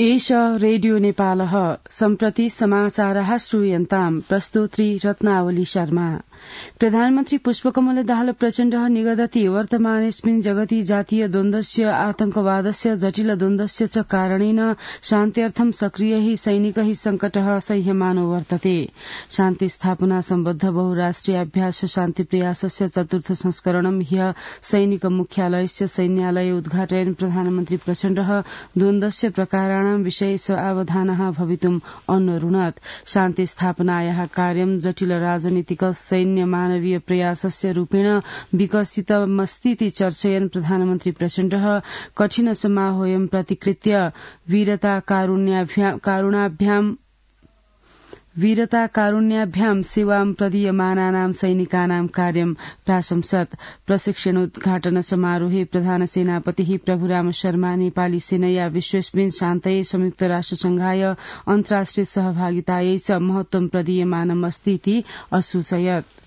एष रेडियो नेपालः सम्प्रति समाचारः श्रूयन्ताम् प्रस्तोत्री रत्नावली शर्मा। प्रधानमन्त्री पुष्पकमल दाहाल प्रचण्डः निगदति वर्तमानेऽस्मिन् जगति जातीय द्वन्द्वस्य आतंकवादस्य जटिल द्वन्द्वस्य च कारणेन शान्त्यर्थं सक्रियैः सैनिकैः संकटः सह्यमानो वर्तते। शान्ति स्थापना सम्बद्ध बहुराष्ट्रियाभ्यास शान्ति प्रयासस्य चतुर्थ संस्करणं ह्यः सैनिक मुख्यालयस्य सैन्यालये उद्घाटयन् प्रधानमन्त्री प्रचण्डः द्वन्द्वस्य प्रकाराणां विषये सावधानः भवितुम् अन्वरुणत्। शान्ति स्थापनायाः कार्यं जटिल राजनीतिक सैन्य मानवीय प्रयासस्य रूपेण विकसितमस्तीति चर्चयन् प्रधानमन्त्री प्रचण्डः कठिन समाहोऽयं प्रतिकृत्य वीरता कारुण्याभ्याम सेवां प्रदीयमानानां सैनिकानां कार्यं प्राशंसत्। प्रशिक्षणोद्घाटन समारोहे प्रधान सेनापतिः प्रभुराम शर्मा नेपाली सेनया विश्वेस्मिन् शान्तये संयुक्त राष्ट्रसंघाय अन्तर्राष्ट्रिय सहभागितायै च महत्वं प्रदीयमानमस्तीति असूचयत्।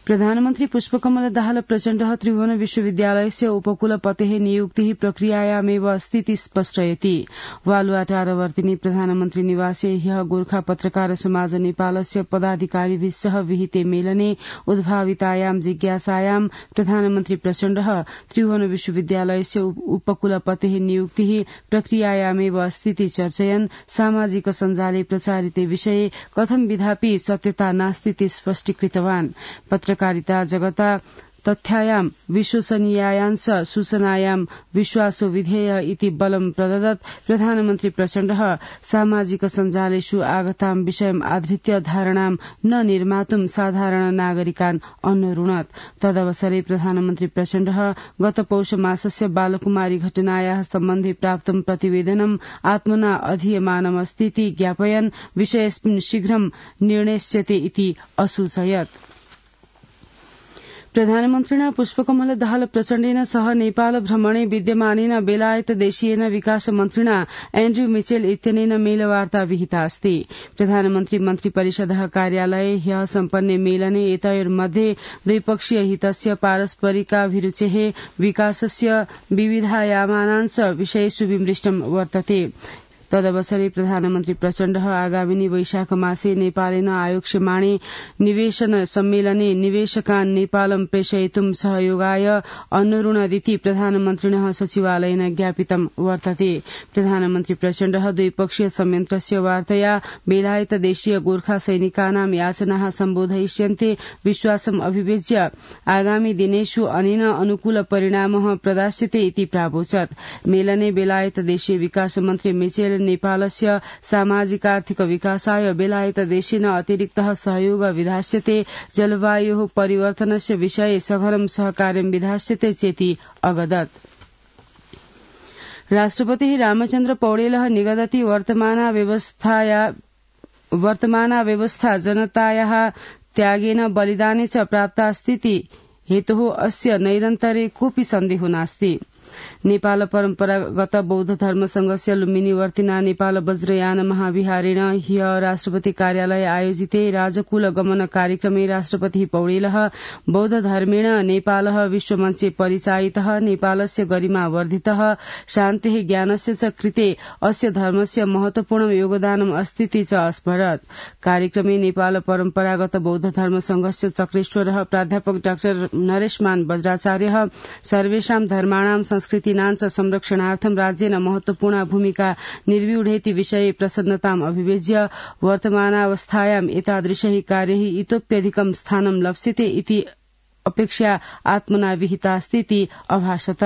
प्रधानमन्त्री पुष्पकमल दाहाल प्रचण्डः त्रिभुवन विश्वविद्यालयस्य उपकुलपतेः नियुक्तिः प्रक्रियायामेव अस्तीति स्पष्टयति। वालुवाटारवर्तिनि प्रधानमन्त्री निवासे ह्यः गोर्खा पत्रकार समाज नेपालस्य पदाधिकारिभिः सह विहिते मेलने उद्भावितायां जिज्ञासायां प्रधानमन्त्री प्रचण्डः त्रिभुवन विश्वविद्यालयस्य उपकुलपतेः नियुक्तिः प्रक्रियायामेव अस्तीति चर्चयन् सामाजिक सञ्जाले प्रचारिते विषये कथं विधापि सत्यता नास्तीति स्पष्टीकृतवान्। पत्रकारिता जगता तथ्यायां विश्वसनीयायांश सूचनायां विश्वासो विधेय इति बलं प्रददत्। प्रधानमन्त्री प्रचण्डः सामाजिक सञ्जालेषु आगतां विषयम् आधृत्य धारणां न निर्मातुं साधारण नागरिकान् अन्वरुणत्। तदवसरे प्रधानमन्त्री प्रचण्डः गत पौष मासस्य बालकुमारी घटनायाः सम्बन्धे प्राप्तं प्रतिवेदनम् आत्मना अधीयमानमस्तीति ज्ञापयन् विषयेऽस्मिन् शीघ्रं निर्णेष्यते इति असूचयत्। प्रधानमन्त्रिणा पुष्पकमल दाहाल प्रचण्डेन सह नेपाल भ्रमणे विद्यमानेन बेलायत देशीयेन विकास मन्त्रिणा एन्ड्रयू मिचेल इत्यनेन मेलवार्ता विहिता अस्ति। प्रधानमन्त्री मन्त्रिपरिषदः कार्यालये ह्यः सम्पन्ने मेलने एतयोर्मध्ये द्विपक्षीय हितस्य पारस्परिकाभिरुचेः विकासस्य विविधायामानांश विषयेषु विमृष्टं वर्तते। तदवसरे प्रधानमन्त्री प्रचण्डः आगामिनी वैशाख मासे नेपालेन आयोक्ष्यमाणे निवेशन सम्मेलने निवेशकान् नेपालं प्रेषयितुं सहयोगाय अनुरुणदिति प्रधानमन्त्रिणः सचिवालयेन ज्ञापितं वर्तते। प्रधानमन्त्री प्रचण्डः द्विपक्षीय संयन्त्रस्य वार्तया बेलायत देशीय गोर्खा सैनिकानां याचनाः सम्बोधयिष्यन्ते विश्वासम् अभिव्यज्य आगामी दिनेषु अनेन अनुकूल परिणामः प्रदास्यते इति प्रावोचत्। मेलने बेलायत देशीय विकास मन्त्री मिचेल नेपालस्य सामाजिकार्थिक विकासाय बेलायत देशेन अतिरिक्तः सहयोग विधास्यते जलवायोः परिवर्तनस्य विषये सघनं सहकार्यं विधास्यते चेति अवदत्। राष्ट्रपतिः रामचन्द्र पौडेलः निगदति वर्तमाना व्यवस्था जनतायाः त्यागेन बलिदाने च प्राप्तास्तीति हेतुः अस्य नैरन्तर्ये कोऽपि सन्देहो नास्ति। नेपाल परम्परागत बौद्ध धर्म संघस्य लुम्बिनी वर्तिना नेपाल वज्रयान महाविहारेण ह्यः राष्ट्रपति कार्यालय आयोजिते राजकुल गमन कार्यक्रमे राष्ट्रपतिः पौडेलः बौद्ध धर्मेण नेपालः विश्वमञ्चे परिचायितः नेपालस्य गरिमा वर्धितः शान्तेः ज्ञानस्य च कृते अस्य धर्मस्य महत्वपूर्ण योगदानम् अस्तीति च अस्मरत्। कार्यक्रमे नेपाल परम्परागत बौद्ध धर्म संघस्य चक्रेश्वरः प्राध्यापक डाक्टर नरेशमान वज्राचार्यः सर्वेषां धर्माणां संस्कृतीनां च संरक्षणार्थं राज्येन महत्वपूर्ण भूमिका निर्व्यूढेति विषये प्रसन्नताम् अभिव्यज्य वर्तमानावस्थायाम् एतादृशैः कार्यैः इतोप्यधिकं स्थानं लप्स्यते इति अपेक्षा आत्मना विहितास्तीति अभाषत।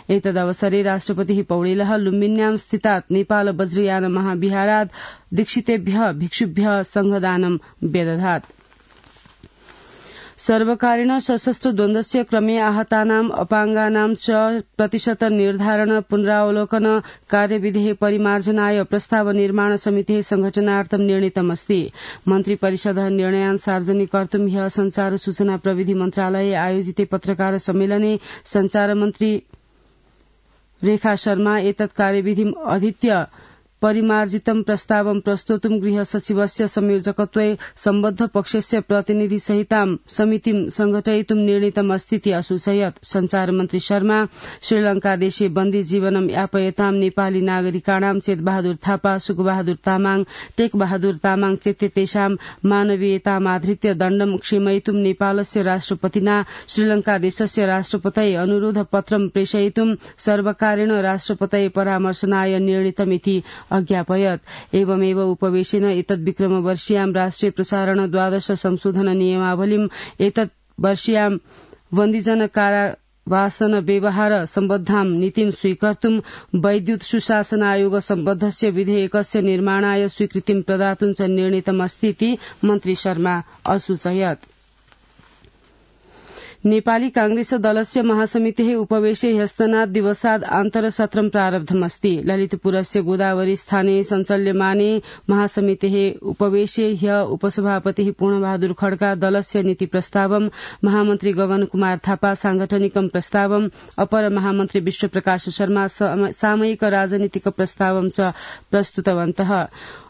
एतदवसरे राष्ट्रपतिः पौडेलः लुम्बिन्यां स्थितात् नेपाल वज्रयान महाविहारात् दीक्षितेभ्यः भिक्षुभ्यः संघदानं व्यदधात्। सर्वकारेण सशस्त्र द्वन्द्वस्य क्रमे आहतानां अपाङ्गानां च प्रतिशत निर्धारण पुनरावलोकन कार्यविधेः परिमार्जनाय प्रस्ताव निर्माण समितेः संघटनार्थं निर्णीतमस्ति। मन्त्रिपरिषदः निर्णयान् सार्वजनिक कर्तुं ह्यः संचार सूचना प्रविधि मन्त्रालये आयोजिते पत्रकार सम्मेलने संचार मन्त्री रेखा शर्मा एतत् कार्यविधिम् अधीत्य परिमार्जितं प्रस्तावं प्रस्तोतुं गृह सचिवस्य संयोजकत्वे सम्बद्ध पक्षस्य प्रतिनिधि सहितां समितिं संघटयितुं निर्णीतमस्तीति असूचयत् संचार मन्त्री शर्मा श्रीलंकादेशे बन्दी जीवनं यापयतां नेपाली नागरिकाणां चेतबहादुर थापा सुकबहादुर तामाङ टेकबहादुर तामाङ चेत्ते तेषां मानवीयतामाधृत्य दण्डं क्षमयितुं नेपालस्य राष्ट्रपतिना श्रीलंकादेशस्य राष्ट्रपतये अनुरोध पत्रं प्रेषयितुं सर्वकारेण राष्ट्रपतये परामर्शनाय निर्णीतमिति अज्ञापयत्। एवमेव उपवेशेन एतद् विक्रमवर्षीयां राष्ट्रिय प्रसारण द्वादश संशोधन नियमावलीम् एतद् वर्षीयां बन्दीजन कारावासन व्यवहार सम्बद्धां नीतिं स्वीकर्तुं वैद्युत सुशासन आयोग सम्बद्धस्य विधेयकस्य निर्माणाय स्वीकृतिं प्रदातुं च निर्णीतमस्तीति मन्त्री शर्मा असूचयत्। नेपाली कांग्रेस दलस्य महासमितेः उपवेशे ह्यस्तनात् दिवसात् आन्तरसत्रं प्रारब्धमस्ति। ललितपुरस्य गोदावरी स्थाने सञ्चाल्यमाने महासमितेः उपवेशे ह्य उपसभापतिः पूर्णबहादुर खड्का दलस्य नीति प्रस्तावं, महामन्त्री गगन कुमार थापा सांगठनिकं प्रस्तावं, अपर महामन्त्री विश्वप्रकाश शर्मा सामयिक राजनीतिक प्रस्तावं च प्रस्तुतवन्तः।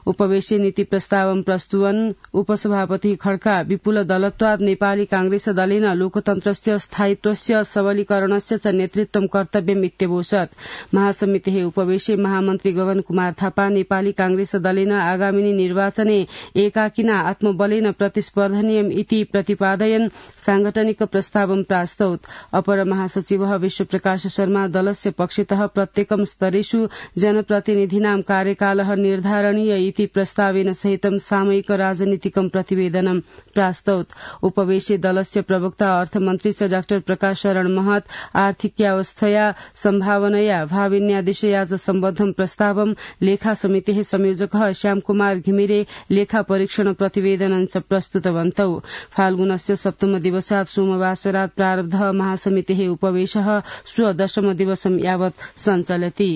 उपवेशे नीति प्रस्तावं प्रस्तुवन् उपसभापति खड्का विपुल दलत्वात् नेपाली कांग्रेस दलेन लोकतन्त्रस्य स्थायित्वस्य सबलीकरणस्य च नेतृत्वं कर्तव्यम् इत्यवोचत्। महासमितेः उपवेशे महामन्त्री गगन कुमार थापा नेपाली कांग्रेस दलेन आगामिनी निर्वाचने एकाकिना आत्मबलेन प्रतिस्पर्धनीयम् इति प्रतिपादयन् सांगठनिक प्रस्तावं प्रास्तौत्। अपर महासचिवः विश्वप्रकाश शर्मा दलस्य पक्षतः प्रत्येकं स्तरेषु जनप्रतिनिधीनां कार्यकालः निर्धारणीय इति प्रस्तावेन सहितं सामयिक राजनीतिकं प्रतिवेदनं प्रास्तौत्। उपवेशे दलस्य प्रवक्ता अर्थमन्त्री च डाक्टर प्रकाश शरण महत आर्थिक्यावस्थया सम्भावनया भाविन्यादिशया च सम्बद्धं प्रस्तावं, लेखा समितेः संयोजकः श्यामकुमार घिमिरे लेखा परीक्षण प्रतिवेदनं च प्रस्तुतवन्तौ। फाल्गुनस्य सप्तम दिवसात् सोमवासरात् प्रारब्धः महासमितेः उपवेशः श्व दशम दिवसं यावत् सञ्चलति।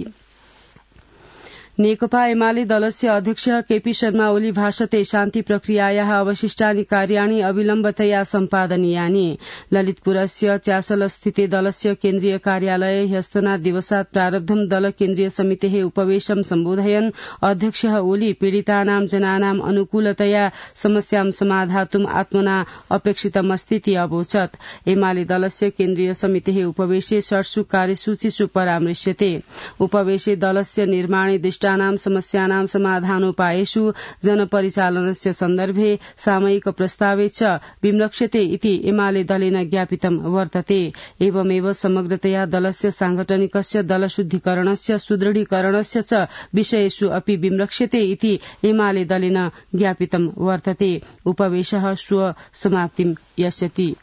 नेकपा एमाले दलस्य अध्यक्ष केपी शर्मा ओली भाषते शान्ति प्रक्रियायाः अवशिष्टानि कार्याणि अविलम्बतया सम्पादनीयानि। ललितपुरस्य च्यासलस्थिते दलस्य केन्द्रीय कार्यालये ह्यस्तनात् दिवसात् प्रारब्धं दल केन्द्रीय समितेः उपवेशं सम्बोधयन् अध्यक्ष ओली पीडितानां जनानां अनुकूलतया समस्यां समाधातुं आत्मना अपेक्षितमस्तीति अवोचत्। एमाले दलस्य केन्द्रीय समितेः उपवेशे षट्सु कार्यसूचिषु परामृश्यते। उपवेशे दलस्य निर्माणे विशिष्टानां समस्यानां समाधानोपायेषु जनपरिचालनस्य सन्दर्भे सामयिक प्रस्तावे च विमृक्ष्यते इति एमाले दलेन ज्ञापितं वर्तते। एवमेव समग्रतया दलस्य सांगठनिकस्य दलशुद्धिकरणस्य सुदृढीकरणस्य च विषयेषु अपि विमृक्ष्यते इति एमाले दलेन ज्ञापितं वर्तते। उपवेशः श्व समाप्तिं यास्यति।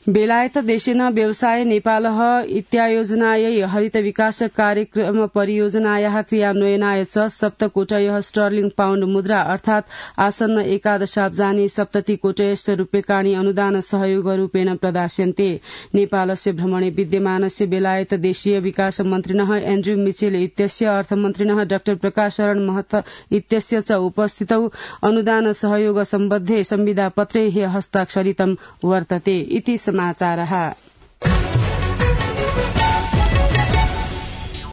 बेलायत देशेन व्यवसाय नेपालः इत्यायोजनायै हरित विकास कार्यक्रम परियोजनायाः क्रियान्वयनाय च सप्तकोटयः स्टर्लिंग पाउण्ड मुद्रा अर्थात् आसन्न एकादशाब्जानि सप्ततिकोटयस्य रूप्यकाणि अनुदान सहयोगरूपेण प्रदास्यन्ते। नेपालस्य भ्रमणे विद्यमानस्य बेलायत देशीय विकास मन्त्रिणः एन्ड्रयू मिचेल इत्यस्य अर्थमन्त्रिणः डाक्टर प्रकाश शरण महत इत्यस्य च उपस्थितौ अनुदान सहयोग सम्बद्धे संविदापत्रे हस्ताक्षरितं वर्तते इति समाचारः।